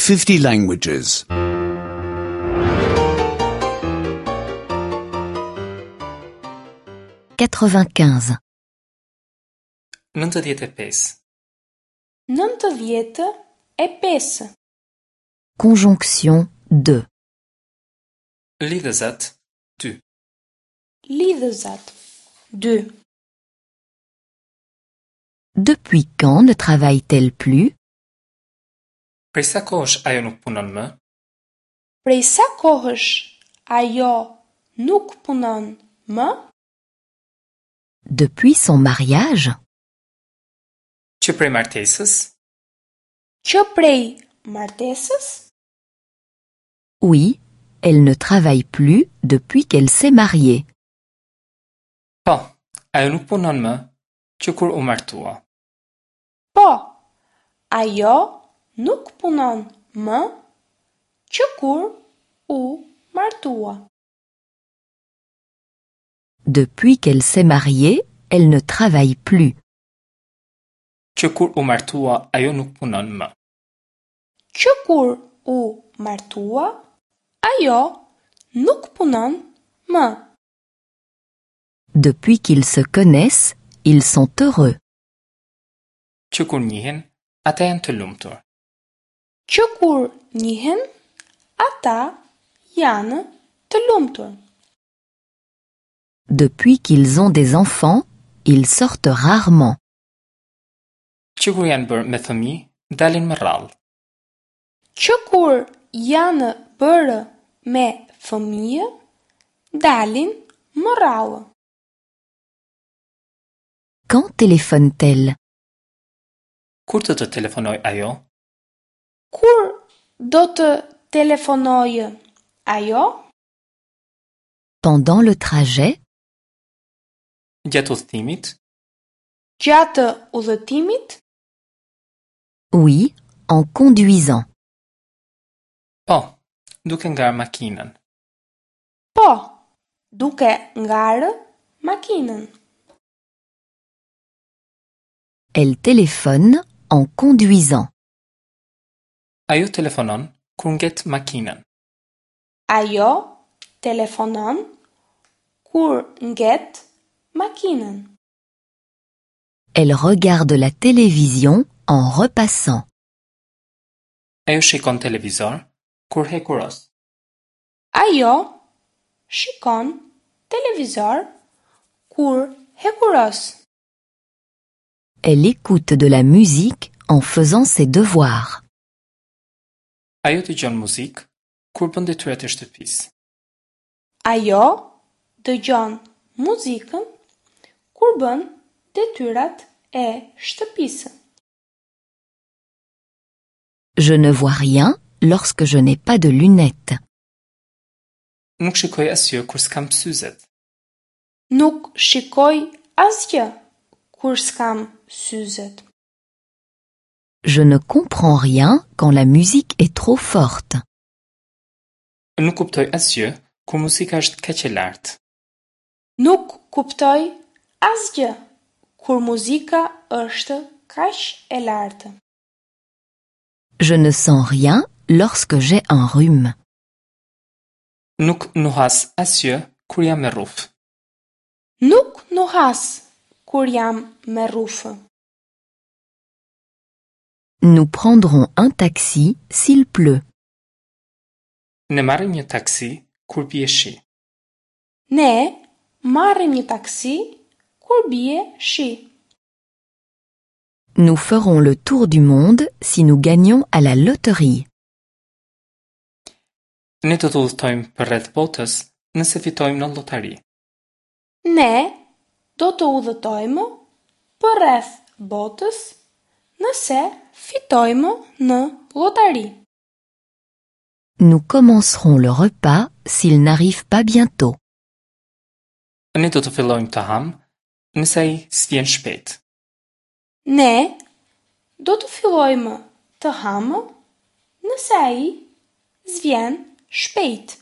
50 languages. 95. 95. 95. Conjonction 2. Lidhëzat 2. Lidhëzat 2. Depuis quand ne travaille-t-elle plus? Prej sa kohësh ajo nuk punon më? Prej sa kohësh ajo nuk punon më? Depuis son mariage? Që prej martesës? Që prej martesës? Oui, elle ne travaille plus depuis qu'elle s'est mariée. Po, ajo nuk punon më që kur u martua. Po, ajo nuk punon më që kur u martua. Depuis qu'elle s'est mariée, elle ne travaille plus. Që kur u martua, ajo nuk punon më. Që kur u martua, ajo nuk punon më. Depuis qu'ils se connaissent, ils sont heureux. Që kur njihen, ata janë të lumtur. Që kur njihen, ata janë të lumtur. Depuis qu'ils ont des enfants, ils sortent rarement. Që kur janë bërë me fëmijë, dalin më rrallë. Që kur janë bërë me fëmijë, dalin më rrallë. Quand téléphone-t-elle? Kur do të telefonojë ajo? Kur do të telefonojë ajo? Pendant le trajet? Gjatë udhëtimit? Gjatë udhëtimit? Oui, en conduisant. Po, duke ngarë makinën. Po, duke ngarë makinën. Elle téléphone en conduisant. Ajo telefonon kur nget makinën. Ajo telefonon kur nget makinën. Elle regarde la télévision en repassant. Ajo shikon televizor kur hekuros. Ajo shikon televizor kur hekuros. Elle écoute de la musique en faisant ses devoirs. Ajo dëgjon muzikë kur bën detyrat e shtëpisë. Ajo dëgjon muzikën kur bën detyrat e shtëpisë. Je ne vois rien lorsque je n'ai pas de lunettes. Nuk shikoj asgjë kur s'kam syzet. Nuk shikoj asgjë kur s'kam syzet. Je ne comprends rien quand la musique est trop forte. Nuk kuptoj asgjë kur muzika është kaq e lartë. Nuk kuptoj asgjë kur muzika është kaq e lartë. Je ne sens rien lorsque j'ai un rhume. Nuk nuhas asgjë kur jam me rrufë. Nuk nuhas kur jam me rrufë. Nous prendrons un taxi s'il pleut. Ne marrim një taksi kur bie shi. Ne marrim një taksi kur bie shi. Nous ferons le tour du monde si nous gagnons à la loterie. Ne do të udhëtojmë përreth botës nëse fitojmë në llotari. Ne do të udhëtojmë përreth botës nëse fitojmë në llotari. Nous commencerons le repas s'il n'arrive pas bientôt. Ne do të fillojmë të hamë nëse ai s'vjen shpejt. Ne do të fillojmë të hamë nëse ai s'vjen shpejt.